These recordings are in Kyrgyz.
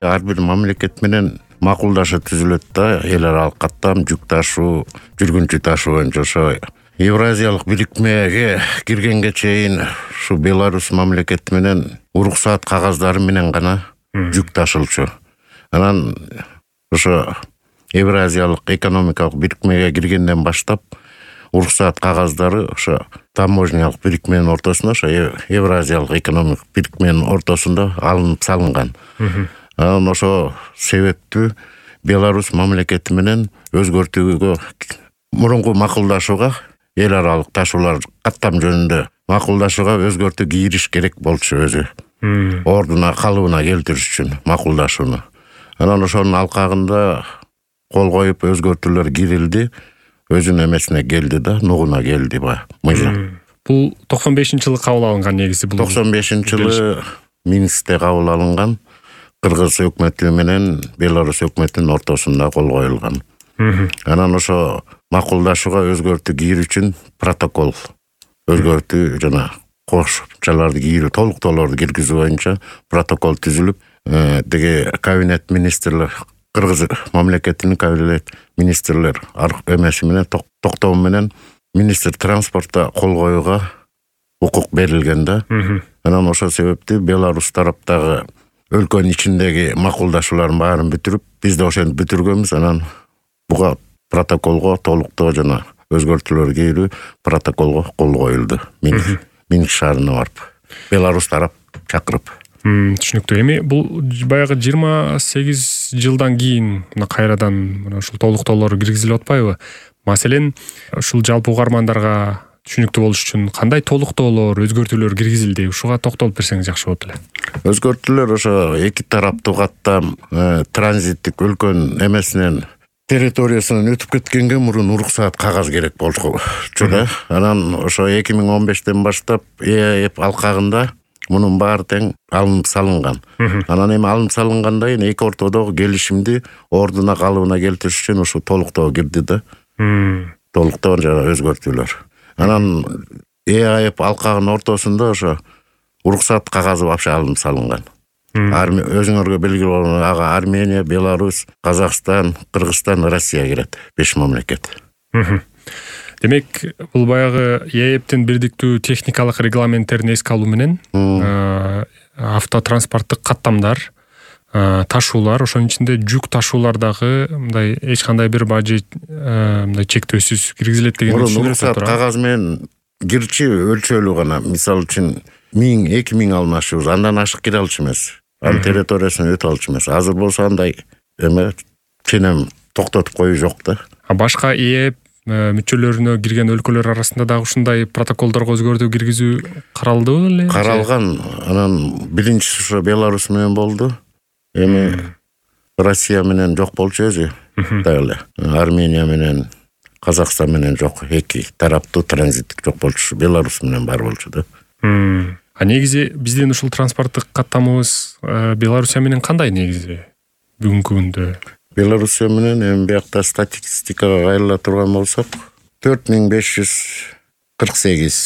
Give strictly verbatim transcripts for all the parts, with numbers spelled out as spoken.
ар бир мамлекет менен макулдашып түзүлөт да, эл аралык каттам, жүк ташуу, жүргүнчү ташуу боюнча. Ошо Евразиялык бирикмеге киргенге чейин ушу Беларусь мамлекети менен уруксаат кагаздары менен гана жүк ташылчу. Анан ошо Евразиялык экономикалык бирикмеге киргенден баштап уруксаат кагаздары ошо таможнялык бирикменин ортосунда, ошо Евразиялык экономикалык бирикменин ортосунда алынып салынган. Анан ошо себептүү Беларусь мамлекети менен өзгөртүүгө, мурунку макулдашууга, эл аралык ташуулар каттам жөнүндө макулдашууга өзгөртүү кириш керек болчу, өзү ордуна, калыбына келтириш үчүн макулдашууну. Анан ошонун алкагында кол коюп өзгөртүүлөр кирилди, өзүнүн эмесине келди да, нугуна келди ба. Бул токсон бешинчи жылы кабыл алынган негизи. Бул токсон бешинчи жылы Минскте кабыл алынган, Кыргыз өкмөтү менен Беларусь өкмөтүнүн ортосунда кол коюлган. Анан ошо макулдашууга өзгөртүү кирүү үчүн протокол, өзгөртүү жана кошумчаларды кирүү, толуктоолорду киргизүү боюнча протокол түзүлүп, деге кабинет министрлер, Кыргыз мамлекетинин кабинет министрлер эмеси менен, токтоо менен министр транспортто кол коюуга укук берилген да. Анан ошол себептүү Беларусь тараптагы өлкөнүн ичиндеги макулдашуулардын баарын бүтүрүп, биз да ошентип бүтүргөнбүз. Анан буга протоколго толуктоо жана өзгөртүүлөр кирүү протоколго кол коюлду. Минск шаарына барып, Беларусь тарап чакырып. Түшүнүктүү. Эми бул баягы жыйырма сегиз жылдан кийин мына кайрадан мына ушул толуктоолор киргизилип атпайбы? Маселен, ушул жалпы угармандарга түшүнүктүү болуш үчүн кандай толуктоолор, өзгөртүүлөр киргизилди? Ушуга токтолуп берсеңиз жакшы болот эле. Өзгөртүүлөр ошо эки тараптуу каттам транзиттик өлкөнүн эмесинен, территориясынан өтүп кеткенге мурун уруксаат кагаз керек болчу да. Анан ошо эки миң он бештен баштап ЭАЭП алкагында мунун баары тең алынып салынган. Анан эми алынып салынгандан кийин эки ортодогу келишимди ордуна, калыбына келтириш үчүн ушу толуктоо кирди да. Толуктоо жана өзгөртүүлөр. Анан ЭАЭП алкагынын ортосунда ошо уруксаат кагазы вообще алынып салынган. Өзүңөргө белгилүү болгон ага Армения, Беларусь, Казакстан, Кыргызстан, Россия кирет. беш мамлекет. Демек, бул баягы ЭАЭПтин бирдиктүү техникалык регламенттерин эске алуу менен автотранспорттук каттамдар, ташуулар, ошонун ичинде жүк ташуулар дагы мындай эч кандай бир бажы мындай чектөөсүз киргизилет деген түшүнүк бар. Кагаз менен кирчи өлчөлүү гана. Мисалы үчүн миң, эки миң алмашыбыз, андан ашык кире алчу эмес. Анын территориясынан өтө алчу эмес. Азыр болсо андай эме ченем токтотуп коюу жок да. А башка ЭАЭП мүчөлөрүнө кирген өлкөлөр арасында дагы ушундай протоколдорго өзгөртүү киргизүү каралдыбы эле? Каралган. Анан биринчиси ошо Беларусь менен болду. Эми Россия менен жок болчу өзү. Дагы Армения менен, Казакстан менен жок. Эки тараптуу транзиттик жок болчу. Беларусь менен бар болчу да. А негизи биздин ушул транспорттук каттамыбыз Белоруссия менен кандай негизи бүгүнкү күндө? Белоруссия менен эми биякта статистикага кайрыла турган болсок, төрт миң беш жүз кырк сегиз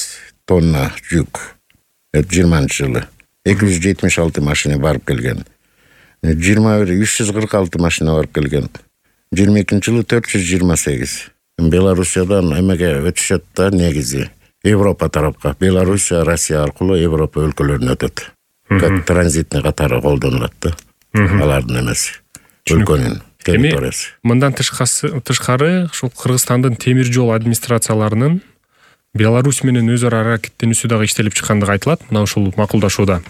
тонна жүк жыйырманчы жылы эки жүз жетимиш алты машина барып келген. жыйырма бир үч жүз кырк алты машина барып келген. жыйырма экинчи жылы төрт жүз жыйырма сегиз. Белоруссиядан эмеге өтүшөт да негизи. Европа тарапка, Белоруссия, Россия аркылуу Европа өлкөлөрүнө өтөт. Как транзитный катары колдонулат да. Алардын эмеси. Өлкөнүн территориясы. Мындан тышкары, ушул Кыргызстандын темир жол администрацияларынын Беларусь менен өз ара аракеттенүүсү дагы иштелип чыккандыгы айтылат. Мына ушул макулдашууда.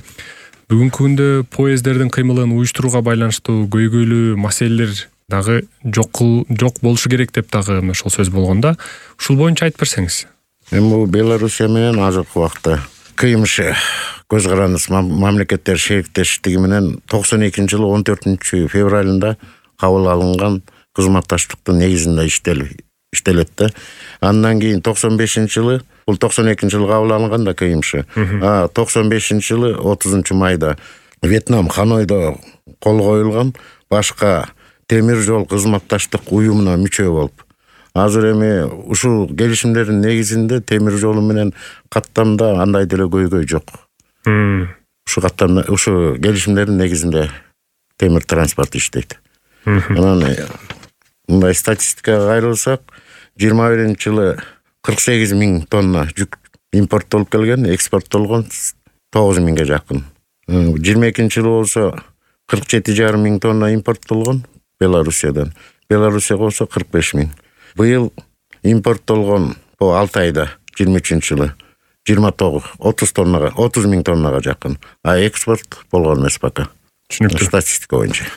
Бүгүнкү күндө поезддердин кыймылын уюштурууга байланыштуу көйгөйлүү маселелер дагы жок жок болушу керек деп дагы ошол сөз болгондо, ушул боюнча айтып берсеңиз. Эми бул Белоруссия менен азыркы убакта КМШ көз карандысы мамлекеттер шериктештиги менен токсон экинчи жылы он төртүнчү февралында кабыл алынган кызматташтыктын негизинде иштелет да. Андан кийин токсон бешинчи жылы, бул токсон экинчи жылы кабыл алынган да КМШ. А токсон бешинчи жылы отузунчу майда Вьетнам Ханойдо кол коюлган башка темир жол кызматташтык уюмуна мүчө болуп. Азыр эми ушул келишимдердин негизинде темир жолу менен каттамда андай деле көйгөй жок. Ушу каттамда, ушу келишимдердин негизинде темир транспорт иштейт. Анан мындай статистикага кайрылсак, жыйырма биринчи жылы кырк сегиз миң тонна жүк импорттолуп келген, экспорттолгон тогуз миңге жакын. жыйырма экинчи жылы болсо кырк жети жарым миң тонна импорттолгон Белоруссиядан. Белоруссияга болсо кырк беш миң. Быйыл импорттолгон по алты айда жыйырма үчүнчү жылы жыйырма тогуз отуз тоннага отуз миң тоннага жакын. А экспорт болгон эмес пока. Түшүнүктүү. Статистика боюнча.